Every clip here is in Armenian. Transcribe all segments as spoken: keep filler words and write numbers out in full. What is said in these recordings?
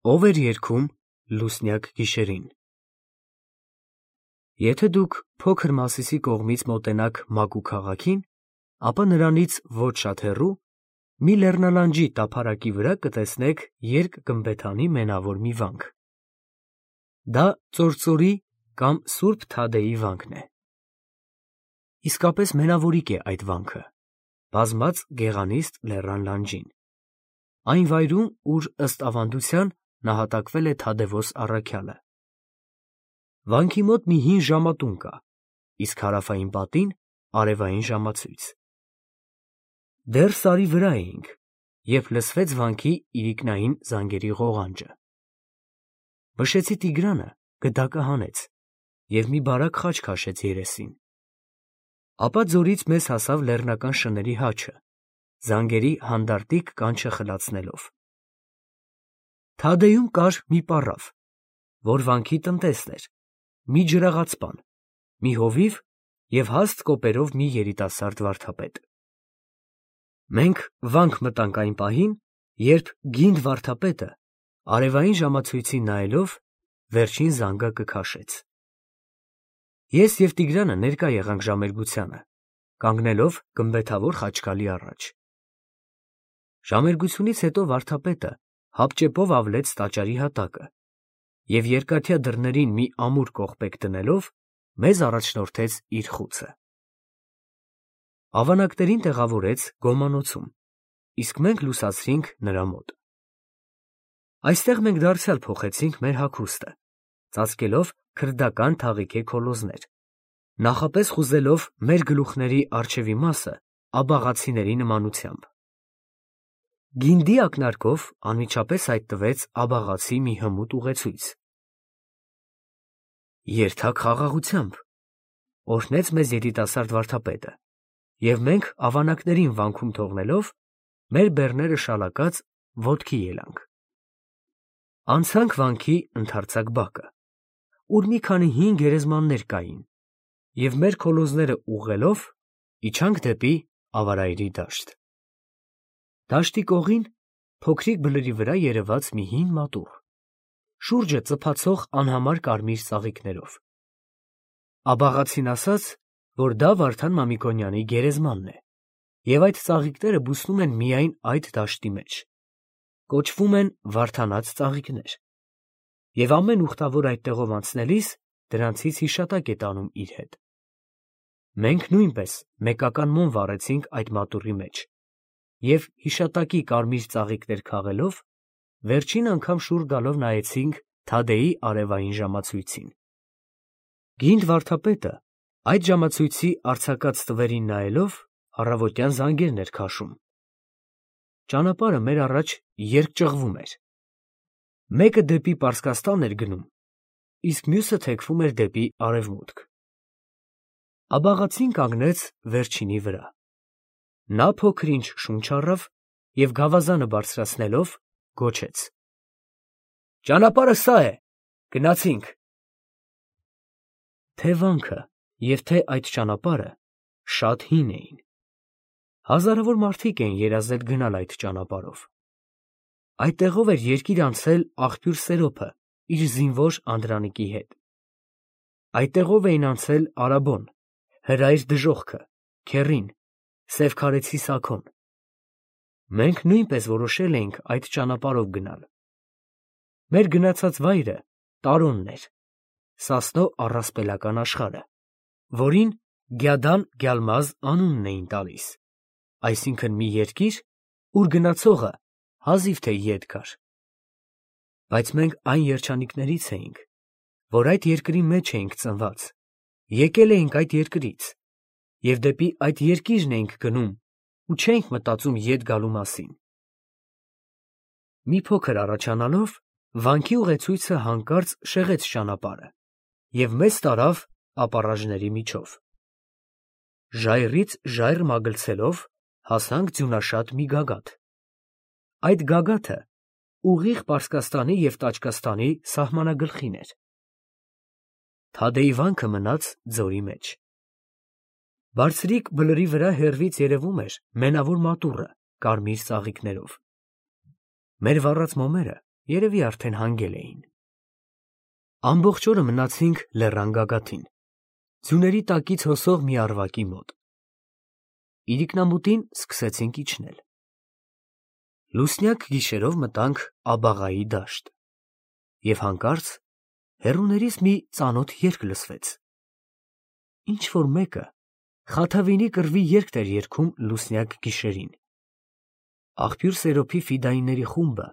Ով էր երգում լուսնյակ գիշերին։ Եթե դուք փոքր Մասիսի կողմից մոտենաք Մակու քաղաքին, ապա նրանից ոչ շատ հեռու մի լեռնալանջի տափարակի վրա կտեսնեք երկգմբեթանի մենավոր մի վանք։ Դա ծործորի կամ Սուրբ Թադեի վանքն է։ Իսկապես մենավորիկ է այդ վանքը, բազմած գեղանիստ լեռան լանջին, այն վայրում, ուր ըստ ավանդության նահատակվել է Թադևոս առաքյալը։ Վանքի մոտ մի հին ժամատուն կա, իսկ հարավային պատին արևային ժամացույց։ Դեռ սարի վրա էինք, երբ լսվեց վանքի իրիկնային զանգերի ղողանջը։ Բշեցի Տիգրանը գդակը հանեց և մի բարակ խաչ քաշեց երեսին։ Ապա ձորից մեզ հասավ լեռնական շների հաչը, զանգերի հանդարտիկ կանչը խլացնելով։ Թադեում կար մի պառավ, որ վանքի տնտեսն էր, մի ջրաղացպան, մի հովիվ և հաստ կոպերով մի երիտասարդ վարդապետ։ Մենք վանք մտանք այն պահին, երբ գինդ վարդապետը, արևային ժամացույցին նայելով, վերջին զանգակը քաշեց։ Ես և Տիգրանը ներկա եղանք ժամերգությանը, կանգնելով գմբեթավոր խաչկալի առաջ։ Ժամերգությունից հետո վարդապետը հապճեպով ավլեց տաճարի հատակը և երկաթյա դռներին մի ամուր կողպեք դնելով, մեզ առաջնորդեց իր խուցը։ Ավանակներին տեղավորեց գոմանոցում, իսկ մենք լուսացրինք նրա մոտ։ Այստեղ մենք դարձյալ փոխեցինք մեր հագուստը, ծածկելով քրդական թաղիքե քոլոզներ, նախապես խուզելով մեր գլուխների առջևի մասը աբաղացիների նմանությամբ։ Գինդի ակնարկով անմիջապես հայտնվեց աբաղացի մի հմուտ ուղեցույց։ Երթաք խաղաղությամբ, օրհնեց մեզ երիտասարդ վարդապետը, և մենք ավանակներին վանքում թողնելով, մեր բեռները շալակած ոտքի ելանք։ Անցանք վանքի ընդարձակ բակը, ուր մի քանի հին գերեզմաններ կային, և մեր քոլոզները ուղղելով իջանք դեպի Ավարայրի դաշտ։ Դաշտի կողին փոքրիկ բլրի վրա երևաց մի հին մատուռ, շուրջը ծփացող անհամար կարմիր ծաղիկներով։ Աբաղացին ասաց, որ դա Վարդան Մամիկոնյանի գերեզմանն է, և այդ ծաղիկները բուսնում են միայն այդ դաշտի մեջ, կոչվում են վարդանած ծաղիկներ, և ամեն ուխտավոր այդտեղով անցնելիս դրանցից հիշատակ է տանում իր հետ։ Մենք նույնպես մեկական մոմ վառեցինք այդ մատուռի մեջ և, հիշատակի կարմիր ծաղիկներ քաղելով, վերջին անգամ շուռ գալով նայեցինք Թադեի արևային ժամացույցին։ Գինդ վարդապետը այդ ժամացույցի արձակած տվերին նայելով առավոտյան զանգերն էր քաշում։ Ճանապարհը մեր առաջ երկճղվում էր։ Մեկը դեպի Պարսկաստան էր գնում, իսկ մյուսը թեքվում էր դեպի արևմուտք։ Աբաղացին կանգնեց վերջինի վրա։ Նա փոքր-ինչ շունչ առավ և գավազանը բարձրացնելով գոչեց. «Ճանապարհը սա է, գնացինք»։ Թե վանքը և թե այդ ճանապարհը շատ հին էին։ Հազարավոր մարդիկ էին երազել գնալ այդ ճանապարհով։ Այդտեղով էր երկիր անցել աղբյուր Սերոփը իր զինվոր անդրանիկի հետ։ Այդտեղով էին անցել Արաբոն, Հրայր Դժոխքը, Քեռին, Սևքարեցի Սաքոն։ Մենք նույնպես որոշել էինք այդ ճանապարհով գնալ։ Մեր գնացած վայրը Տարոնն էր, Սասնո առասպելական աշխարհը, որին Գյադան֊Գյալմազ անունն էին տալիս, այսինքն մի երկիր, ուր գնացողը հազիվ թե ետ գար։ Բայց մենք այն երջանիկներից էինք, որ այդ երկրի մեջ էինք ծնված, եկել էինք այդ երկրից, և դեպի այդ երկիրն էինք գնում ու չէինք մտածում ետ գալու մասին։ Մի փոքր առաջանալով, վանքի ուղեցույցը հանկարծ շեղեց ճանապարհը և մեզ տարավ ապառաժների միջով։ Ժայռից ժայռ մագլցելով հասանք ձյունաշատ մի գագաթ։ Այդ գագաթը ուղիղ Պարսկաստանի և Տաճկաստանի սահմանագլխին էր։ Թադեի վանքը մնաց ձորի մեջ։ Բարձրիկ բլրի վրա հեռվից երևում էր մենավոր մատուռը կարմիր ծաղիկներով։ Մեր վառած մոմերը երևի արդեն հանգել էին։ Ամբողջ օրը մնացինք լեռան գագաթին, ձյուների տակից հոսող մի առվակի մոտ։ Իրիկնամուտին սկսեցինք իջնել։ Լուսնյակ գիշերով մտանք Աբաղայի դաշտ, և հանկարծ հեռուներից մի ծանոթ երգ լսվեց։ Ինչ-որ մեկը Խաթավինի կռվի երգ էր երգում լուսնյակ գիշերին։ Աղբյուր Սերոփի ֆիդայինների խումբը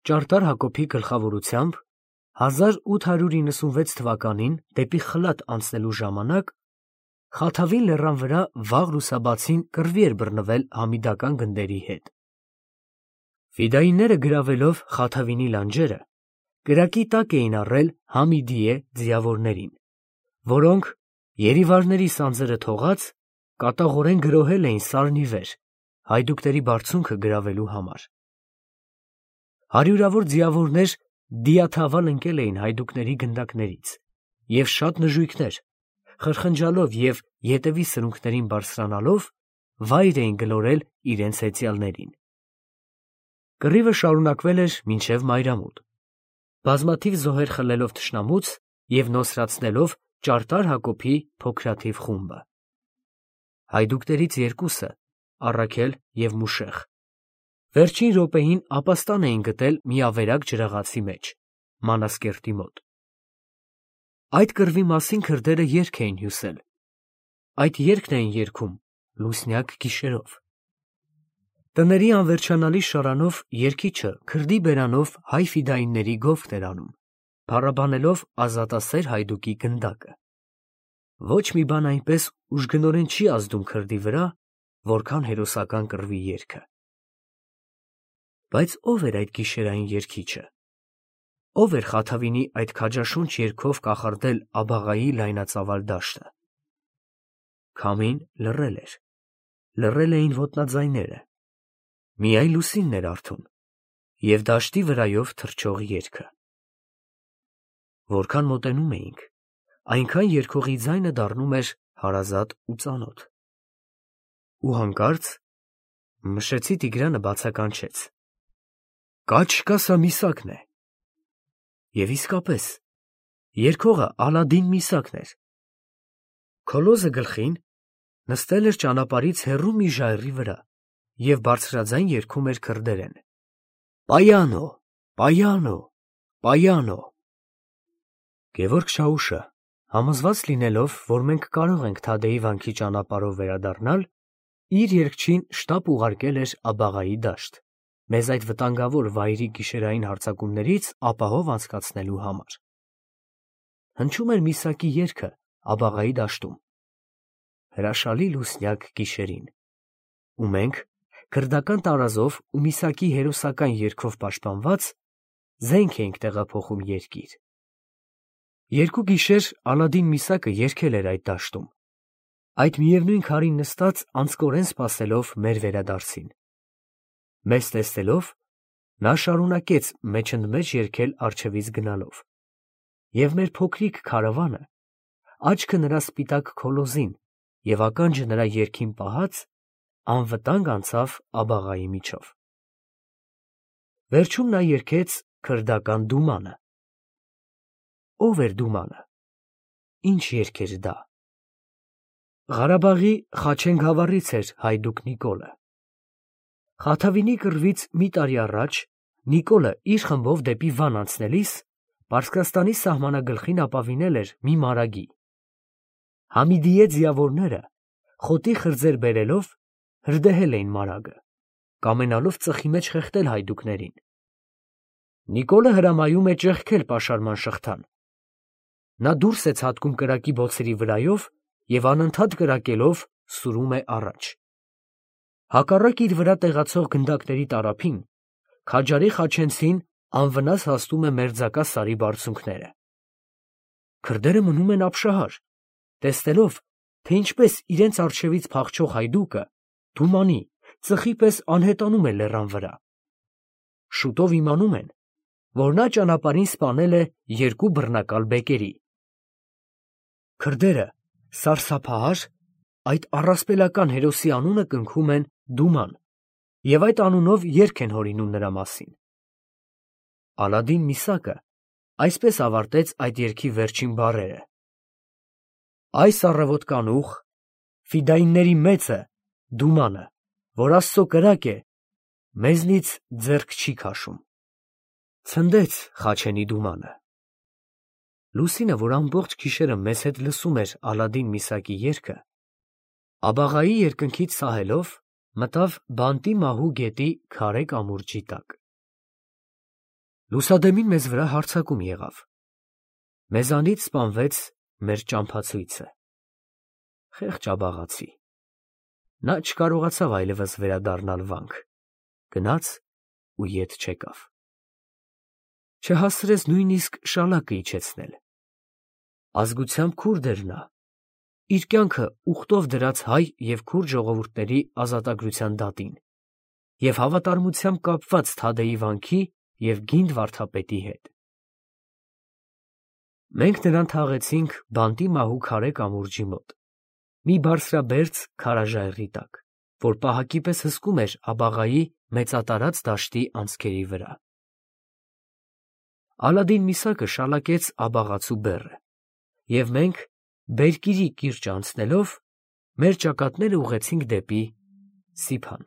Ճարտար Հակոբի գլխավորությամբ հազար ութ հարյուր իննսունվեց թվականին դեպի Խլատ անցնելու ժամանակ Խաթավին լեռան վրա վաղ լուսաբացին կռվի էր բռնվել համիդական գնդերի հետ։ Ֆիդայինները գրավելով Խաթավինի լանջերը, կրակի տակ էին առել Համիդիե ձիավորներին, որոնք երիվարների սանձերը թողած կատաղորեն գրոհել էին սարն ի վեր, հայդուկների բարձունքը գրավելու համար։ Հարյուրավոր ձիավորներ դիաթավալ ընկել էին հայդուկների գնդակներից, և շատ նժույգներ, խրխնջալով և ետևի սրունքներին բարձրանալով, վայր էին գլորել իրենց հեծյալներին։ Կռիվը շարունակվել էր մինչև մայրամուտ, բազմաթիվ զոհեր խլելով թշնամուց և նոսրացնելով Ճարտար Հակոբի փոքրաթիվ խումբը։ Հայդուկներից երկուսը, Առաքել և Մուշեղ, վերջին րոպեին ապաստան էին գտել մի ավերակ ջրաղացի մեջ, Մանասկերտի մոտ։ Այդ կռվի մասին քրդերը երգ էին հյուսել, այդ երգն էին երգում լուսնյակ գիշերով։ Տների անվերջանալի շարանով երգիչը քրդի բերանով հայ ֆիդայինների գովքն էր անում, փառաբանելով ազատասեր հայդուկի գնդակը։ Ոչ մի բան այնպես ուժգնորեն չի ազդում քրդի վրա, որքան հերոսական կռվի երգը։ Բայց ո՞վ էր այդ գիշերային երգիչը։ Ո՞վ էր Խաթավինի այդ քաջաշունչ երգով կախարդել Աբաղայի լայնածավալ դաշտը։ Քամին լռել էր, լռել էին ոտնաձայները, միայն լուսինն էր արթուն և դաշտի վրայով թռչող երգը։ Որքան մոտենում էինք, այնքան երգողի ձայնը դառնում էր հարազատ ու ծանոթ։ Ու հանկարծ Մշեցի Տիգրանը բացականչեց. «Կա չկա սա Միսակն է»։ Եվ իսկապես, երգողը Ալադին Միսակն էր։ Քոլոզը գլխին նստել էր ճանապարհից հեռու մի ժայռի վրա և բարձրաձայն երգում էր քրդերեն. «Պայանո, պայանո, պայանո»։ Գևորգ Շաուշը, համոզված լինելով, որ մենք կարող ենք Թադեի վանքի ճանապարհով վերադառնալ, իր երգչին շտապ ուղարկել էր Աբաղայի դաշտ, մեզ այդ վտանգավոր վայրի գիշերային հարձակումներից ապահով անցկացնելու համար։ Հնչում էր Միսակի երգը Աբաղայի դաշտում, հրաշալի լուսնյակ գիշերին, ու մենք, քրդական տարազով ու Միսակի հերոսական երգով պաշտպանված, զենք էինք տեղափոխում երկիր։ Երկու գիշեր Ալադին Միսակը երգել էր այդ դաշտում, այդ միևնույն քարին նստած անձկորեն սպասելով մեր վերադարձին։ Մեզ տեսնելով, նա շարունակեց մեջընդմեջ երգել առջևից գնալով, և մեր փոքրիկ քարավանը, աչքը նրա սպիտակ քոլոզին և ականջը նրա երգին պահած, անվտանգ անցավ Աբաղայի միջով։ Վերջում նա երգեց քրդական դումանը։ Ո՞վ էր դումանը, ինչ երգ էր դա։ Ղարաբաղի Խաչեն գավառից էր հայդուկ Նիկոլը։ Խաթավինի կռվից մի տարի առաջ Նիկոլը իր խմբով դեպի Վան անցնելիս Պարսկաստանի սահմանագլխին ապավինել էր մի մարագի։ Համիդիե ձիավորները, խոտի խրձեր բերելով, հրդեհել էին մարագը, կամենալով ծխի մեջ խեղդել հայդուկներին։ Նիկոլը հրամայում է ճեղքել պաշարման շղթան։ Նա դուրս է ցատկում կրակի բոցերի վրայով և անընդհատ կրակելով սուրում է առաջ։ Հակառակ իր վրա տեղացող գնդակների տարափին քաջարի խաչենցին անվնաս հասնում է մերձակա սարի բարձունքները։ Քրդերը մնում են ապշահար, տեսնելով, թե ինչպես իրենց առջևից փախչող հայդուկը դումանի, ծխի պես անհետանում է լեռան վրա։ Շուտով իմանում են, որ նա ճանապարհին սպանել է երկու բռնակալ բեկերի։ Քրդերը սարսափահար այդ առասպելական հերոսի անունը կնքում են Դուման և այդ անունով երգ են հորինում նրա մասին։ Ալադին Միսակը այսպես ավարտեց այդ երգի վերջին բառերը. «Այս առավոտ կանուխ, ֆիդայինների մեծը, Դումանը, որ Աստծո կրակ է, մեզնից ձեռք չի քաշում»։ Ցնդեց Խաչենի Դումանը։ Լուսինը, որ ամբողջ գիշերը մեզ հետ լսում էր Ալադին Միսակի երգը, աբաղայի երկնքից սահելով, մտավ բանտի մահու գետի քարե կամուրջի տակ։ Լուսադեմին մեզ վրա հարձակում եղավ։ Մեզանից սպանվեց մեր ճամփացույցը։ Խեղճ աբաղացի։ Նա չկարողացավ այլևս վերադառնալ վանք, գնաց ու ետ չեկավ։ Չհասցրեց նույնիսկ շալակը իջեցնել։ Ազգությամբ քուրդ էր նա, իր կյանքը ուխտով դրած հայ և քուրդ ժողովուրդների ազատագրության դատին և հավատարմությամբ կապված Թադեի վանքի և գինդ վարդապետի հետ։ Մենք նրան թաղեցինք բանտի մահու քարե կամուրջի մոտ, մի բարձրաբերձ քարաժայռի տակ, որ պահակի պես հսկում էր աբաղայի մեծատարած դաշտի անցքերի վրա։ Ալադին Միսակը շալակեց աբաղացու բեռը, և մենք, Բերկիրի կիրճը անցնելով, մեր ճակատները ուղղեցինք դեպի Սիփան։